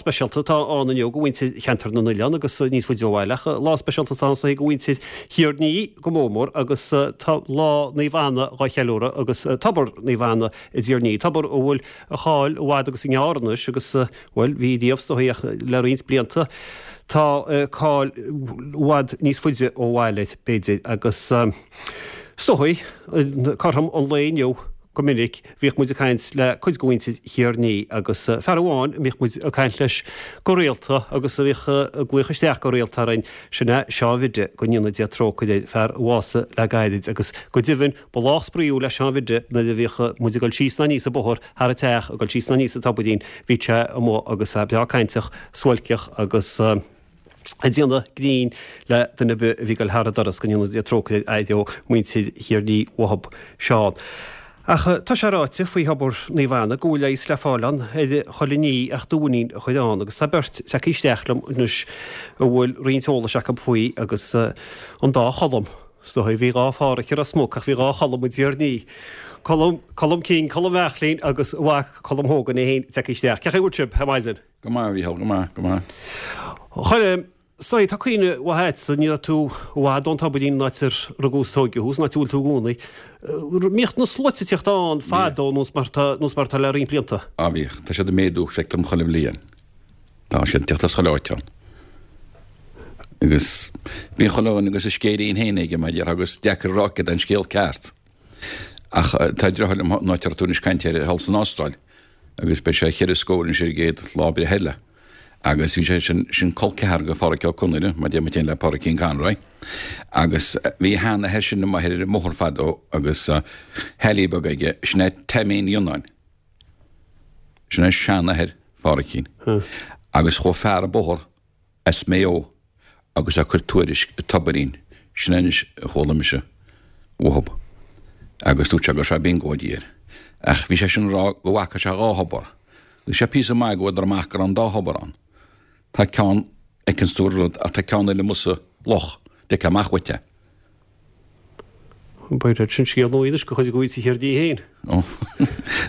speisialta atá ann inniu do mhuintir Cheantar na nOileán agus níos faide ó bhaile ach lá speisialta atá ann is dóigh do mhuintir Thír an Fhia go mór mór agus tá Lá Naomh Anna dhá cheiliúradh agus Tobar Naomh Anna i dTír an Fhia, tobar a bhfuil a cháil i bhfad agus i ngearr anois agus, bhuel, bhí riamh is dóigh ach le roinnt blianta tá cáil i bhfad níos faide ó bhaile b'fhéidir agus is dóigh cothrom an lae inniu Go minic, bhíodh muid ag caint le cuid de mhuintir Thír an Fhia agus fear amháin a mbíodh muid ag caint leis go rialta agus a bhíodh ag glaoch isteach go rialta orainn, sin é Seán Bhiddy, go ndéana Dia trócaire air, fear a bhásaigh le gairid agus go deimhin ba lách spraíúil le Seán Bhiddy nuair a bhíodh muid ag dul síos ná aníos an bóthar thar an teach, ag dul síos ná aníos an tobairín, bhíodh sé amuigh agus é breá cainteach, suáilceach agus. ag déanamh grinn le duine ar bith a bhí ag dul thar an doras, go ndéana Dia trócaire air ó mhuintir Thír an Fhia uathub Seán. Ach tá sé ráite faoi thobar Naomh Anna go bhfuil leigheas le fáil ann ar chuile ní ach do mhuinín a chur ann agus tá beirt tagtha isteach liom anois a bhfuil roinnt eolais acu faoi agus an dá Cholm, is dóigh, bhí dhá Phádhraic i Ros Muc ach bhí dhá Cholm i dTír an Fhia, Colm, Colm King, Colm Bhearthlín agus a mhac Colm Hogan é féin tagtha isteach. Cén chaoi a bhfuil sibh ar maidin? Go maith, a Mhícheál, go maith, go maith. A Choilm, is dóigh, tá cuimhne mhaith agatsa, ní raibh tú i bhfad ón Tobairín, an áit ar rugadh is tóigeadh thú, san áit a bhfuil tú i gcónaí. Mbíodh na sluaite ag tíocht ann fadó nós mar tá, nós mar atá le roinnt blianta? Á bhíodh. Tá siad ag méadú, feictear dom chuile bhliain. Tá siad ag teacht as chuile áit ann. Agus bíonn chuile dhuine agus a scéilín féin aige, mar a déarfá, agus deacair a rá céard é an scéal ceart. Ach tá deartháir liom, an áit a raibh tú anois ag caint air, thall san Astráil. agus beidh sé cheithre scór anois ar an gcéad lá breithe eile. Agus bhí sé sin, sin col ceathar go Pháraic Ó Conaire, mar deir muid féin le Pádraicín Conroy. Agus bhí a sheanathair sin amuigh ar an mbóthar fadó agus Halley beag aige, sin é Taimín Fhionnáin. Sin é seanathair Phádraicín. Agus chuaigh fear an bóthar as Maigh Eo agus ag cur tuairisc i Tobairín, sin é anois a chuala mise uathub, agus dúirt sé go raibh sé biongóidí air. Ach bhí sé sin ag rá go bhfaca sé dhá thobar. Bhí sé píosa maith go bhfuadar amach go raibh an dá thobar ann. Tá ceann fheiceanns tú an rud ach tá ceann eile amuigh sa loch, d'fheicfeá amach uait é. B'fhéidir sin scéal nua anois do chuid de mhuintir Thír an Fhia féin. Ó,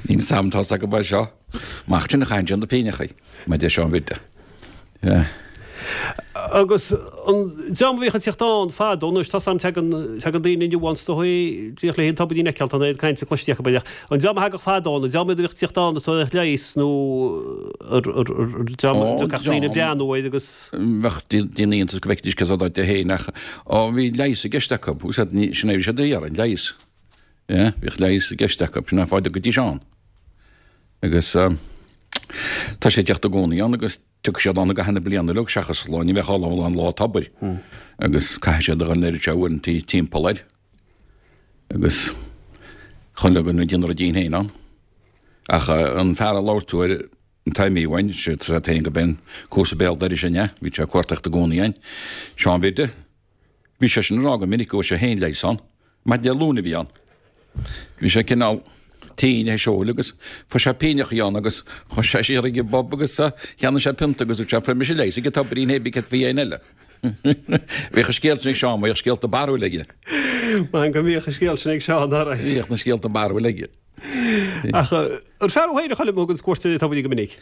níl 'fhios a'm tá 's acu é seo. Amach sin a chaitheann sé na pínneachaí, mar deir Seán Bhiddy. Yeah. Agus an dream a bhíodh ag tíocht ann fadó anois, tá 's a'm tagann, tagann daoine inniu ann is dóigh, díreach le an tobairín a fheiceáil, tá an oiread cainte cloiste acu air ach an dream a thagadh fadó ann, an dream iad a bhíodh ag tíocht ann ag tabhairt leighis nó ar, ar, ar, ar dream a dtiocfadh daoine ag breathnú air agus. Bheadh daoine iontas go bhfeicfidís cé áit é féin ach ó bhí leigheas i gceist acu. Úsáid ní sin é bhí siad a iarraidh, leigheas. Yeah, bhíodh leigheas i gceist acu, sin an fáth a dtiocfaidís ann. Agus tá sé ag teacht i gcónaí ann agus tiocfaidh siad ann i gcaitheamh na bliana uilig seachas lá, ní bheadh lá an lá tobair. Agus caithfidh siad a dhul an oiread seo uaireanta timpeall air. Agus chuile dhuine ag déanamh a ruidín féin ann. Ach an fear a labhair tú air, An Taimí uainn, sé tá féin go binn cúrsa béal dorais an ea, bhí sé ag cuartaíocht i gcónaí ann. Seán Bhiddy, bhí sé sin ag rá go minic go bhfuair sé féin leigheas ann. Maidin Dé Luain a bhí ann. Bhí sé cineál tinn théis óil agus fuair sé pínneachaí ann agus chuaigh sé siar ag an bpub agus cheannaigh sé pionta agus dúirt sé fuair mise leigheas ag an tobairín hé bí céard faoi éinne eile. Bhíodh an scéal sin ag Seán, bhíodh scéalta barrúil aige. Maith go mbíodh an scéal sin ag Seán, alright. Bhíodh na scéalta barrúil aige. Ach an fear thú féin a Choilm a thugann cuairt ar an tobairín go minic?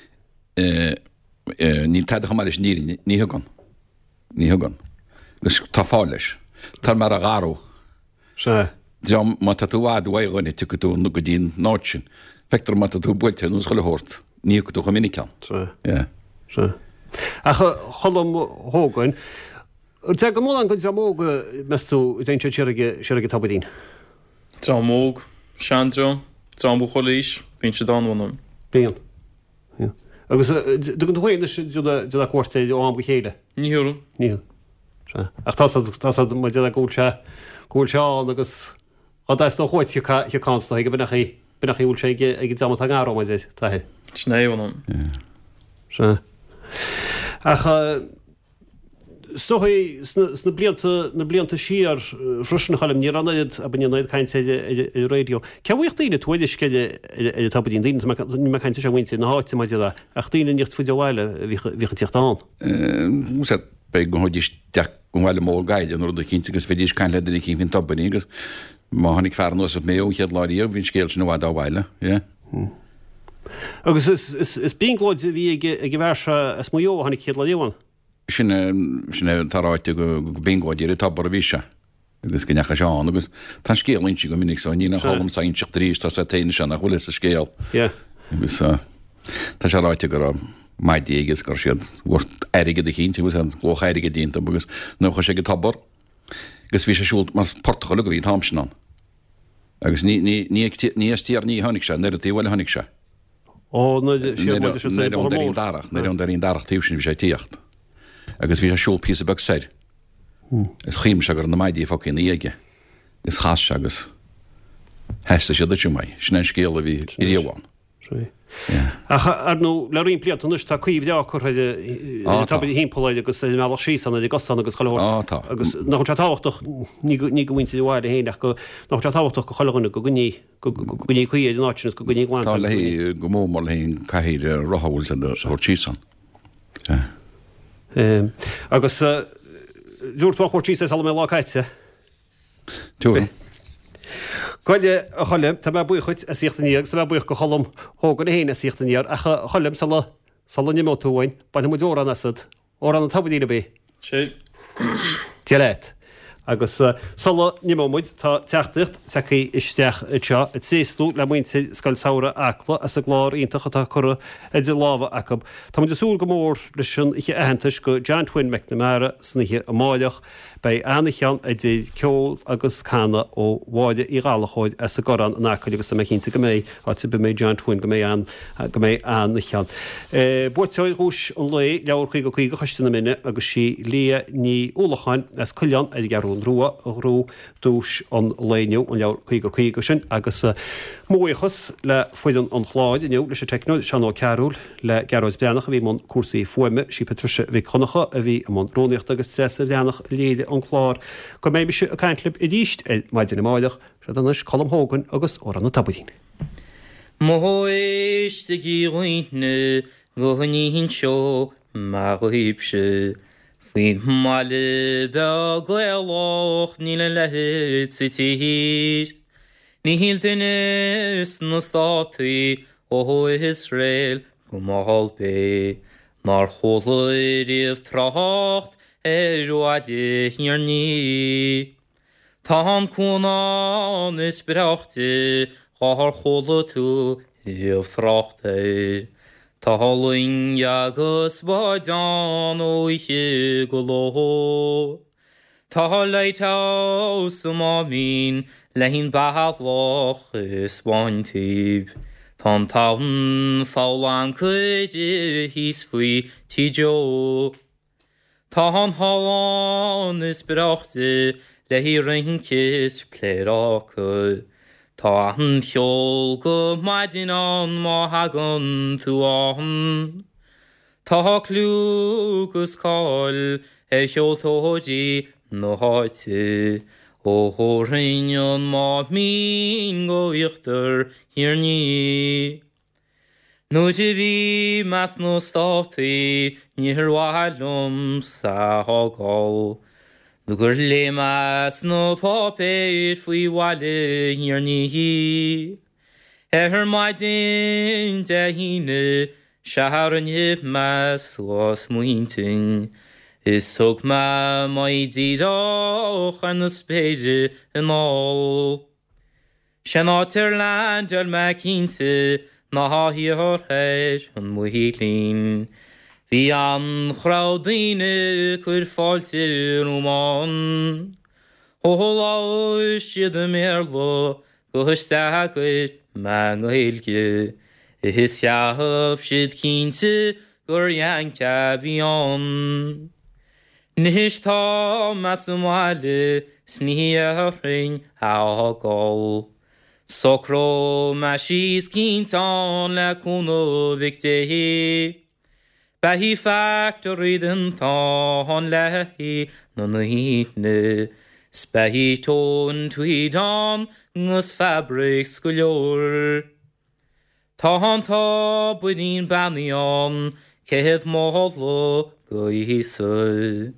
Níl tada chomh maith leis an fhírinne, ní thugann. Ní thugann. Agus tá fáth leis. Tá mar a gharú. Sea. Dream, má tá tú i bhfad uaidh dhuine, tiocfaidh tú go dtí an áit sin. Feictear má tá tú buailte ar nós chuile shórt, ní thiocfaidh tú chomh minic ann. Sea. Yeah. Sea. Ach a Choilm Hogan, an dtagann mórán den dream óg, meas tú, a dtéann siad siar ag, siar ag an tobairín? Dream óg, seandream, dream ó chuile aois, bíonn siad ann, mh'anam. Bíonn. Bíonn. Agus dtugann tú féin anois déanamh cuairt air ó am go chéile? Ní thabharfainn. Ní thabharfainn. Sea. Ach tá 's a'd, tá 's a'd, mar déarfá go bhfuil sé, go bhfuil sé ann agus dá dteastódh uait thiocfá, thiocfá ann is dóigh, go b'in é, b'in é a bhfuil sé ag, ag an dream atá i ngar dó, mar deir t'athair. Sin é, mh'anam. Sea. Ach. Is dóigh, sna blianta, na blianta siar freisin, a Choilm, ní raibh an oiread, abair, ní raibh an oiread cainte ar an raidió. Cé a bhfaigheadh daoine tuairisc ar an tobairín? Daoine, tá mé, níl mé ag caint ar mhuintir na háite, mar a déarfá, ach daoine níos faide ó bhaile a bhíodh, a bhíodh ag tíocht ann. Sea, b'fhéidir go dthabhaidís isteach an bhaile mór Gaillimh nó rud eicínt agus bheidís ag caint le duine eicínt faoin tobairín agus má tháinig fear anuas as Maigh Eo an chéad lá riamh, bhí an scéal sin i bhfad ó bhaile, yeah. Agus is brionglóid a bhí ag an bhfear seo as Maigh Eo a tháinig chéad lá riamh ann. Sin é, sin é atá ráite go brionglóid ar an tobar a bhí sé agus go ndeachaigh sé ann agus tá an scéal inste go minic so níl aon chall domsa a inseacht arís tá sé féin anseo nach bhfuil fhios an scéal. Yeah. Agus tá sé ráite go raibh maidí aige agus go raibh siad gort airgead eicínt agus an luach airgid iontu agus nuair a chuaigh sé ag an tobar agus bhí sé ag siúl mar portach uilig a bhí an t-am sin ann. Agus ní, ní, ní, ní as Tír an Fhia a tháinig sé, an taobh eile a tháinig sé. Ó, nuair, siar muid leis an saol bóthar mór. Darach, nuair ón Doirín Darach taobh sin bhí sé ag tíocht. Agus bhí sé ag siúl píosa beag soir. Is chuimhnigh sé go raibh na maidí fágtha ina dhiaidh aige. Is chas sé agus theastaigh siad duit uaidh. Sin é an scéal a bhí riamh ann. Sea. Ach, ar ndóigh, le roinnt blianta anois tá caoi bhreá curtha ar an tobar thimpeall air agus ar an mbealach síos ann, ar an gcosán agus chuile shórt. Á, tá. Agus nach bhfuil sé tábhachtach, ní go, ní do mhuintir an bhaile féin ach go, nach bhfuil sé tábhachtach do chuile dhuine go gcoinní, go gcoinní caoi ar an áit sin agus go gcoinní glan. Tá le, go mór mór le haghaidh an cathaoir rotha a bhfuil siad a thabhairt síos ann. Sea. Agus dúirt tú an chuairt síos ar Salomé lá caite. Tuairim. Bhuel, a Choilm, tá mé buíoch dhuit as thíocht aniar agus tá mé buíoch do Cholm Hogan é féin as thíocht aniar ach a Choilm, sula, sula n-imeoidh tú uainn, bainfidh muid amhrán asat. Amhrán an Tobairín, ab é? Sé. Dia leat. Agus sula n-imeoidh muid, tá teachtaireacht tagtha isteach anseo ag tréaslú le muintir Scoil Samhraidh Acla as an gclár iontach atá curtha idir lámha acu. Tá muid ag súil go mór leis an oíche aitheantais go John Twin McNamara san oíche amáireach. Beidh an-oíche ann idir ceol agus canadh ó Mháire Uí Ghallchóir as an gCorrán in Acaill agus tá mé cinnte go mbeidh, áit ar bith a mbeidh John Twin, go mbeidh an, go mbeidh an-oíche ann. Buaiteoir dhuais an lae, Leabhar 50 50 Choiste na Mine agus sí Leah Ní Uallacháin as Coileán ar an gCeathrú Rua a ghnóthaigh duais an lae inniu, an leabhar 50 50 sin agus mo bhuíochas le foireann an chláir inniu, leis an teicneoir Seán Ó Cearúil, le Gearóid Breathnach a bhí i mbun cúrsaí fuaime, sí Patricia Mhic Dhonncha a bhí i mbun rúnaíochta agus Treasa Bhreathnach a léirigh an clár. Go mbeidh mise ag caint libh arís ar maidin amáireach, seod anois Colm Hogan agus Amhrán an Tobairín. Ó éistigí a dhaoine go n-inseoidh mé dhaoibhse faoin mbaile beag Gaelach níl a leithéid sa tír. Níl duine sna Státaí ó Iosrael go Málbae nár chuala riamh trácht ar bhaile Thír an Fhia. Tá an cuan ann is breáichte dhár chuala tú riamh trácht air. Tá loing agus báid ann ó oíche go ló. Tá lighthouse sa Máimín le an bealach is báintíb. Tá an tonn pholl ancaire thíos faoi Tí Joe. Tá an hall ann is breáichte le haghaidh rince is pléaráca. Tá an cheol go maidin ann má thagann tú ann. Tá clú 'gus cáil ar cheoltóirí na háite ó theorainn an Máimín go íochtar Thír an Fhia. Nuair a bhí mé sna Státaí níor mhaith liomsa a fhágáil nó gur léigh mé sna páipéir faoi bhaile Thír an Fhia. Ar maidin Dé hAoine sea rinne mé suas m'intinn is thug mé m'aghaidh díreach ar na spéire anall. Sé'n áit ar leaindeáil mé cinnte ná thiar ar an Mhuillin. Bhí an-chrowd daoine ag cur fáilte romham ann. Ó labhair siad i mBéarla 'gus d'fhreagair mé i nGaeilge is cheap siad cinnte gur Yank a bhí ann. Anois tá mé sa mbaile 's ní dhéarfainn a fhágáil. Socróidh mé síos cinnte ann le cúnamh Mhic Dé. Beidh factory déanta ann le haghaidh na ndaoine 's beidh tóin tweed ann 'gus fabrics go leor. Tá an tobairín beannaithe ann, céad moladh go Íosa.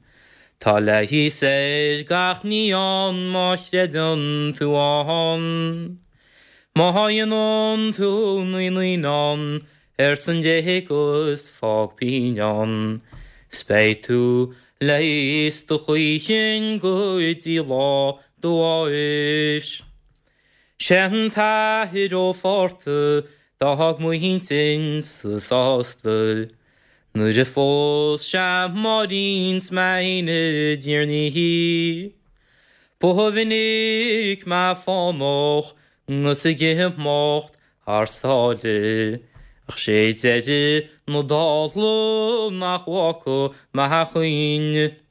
Tá leigheas ar gach ní ann má chreideann tú ann. Má dhéanann tú na naíonáin ar son Dé agus fág pingin ann 's beidh tú leigheasta choíchin go dtí lá do bháis. Sé an tAthair Ó Fátharta d'fhág m'intinnse sásta nuair a phós sé Máirín 's mé fhéin i dTír na nIi. Ba mhinic mé fánach 'gus ag imeacht thar sáile, ach sé deireadh na dála nach bhfaca mé a chuing.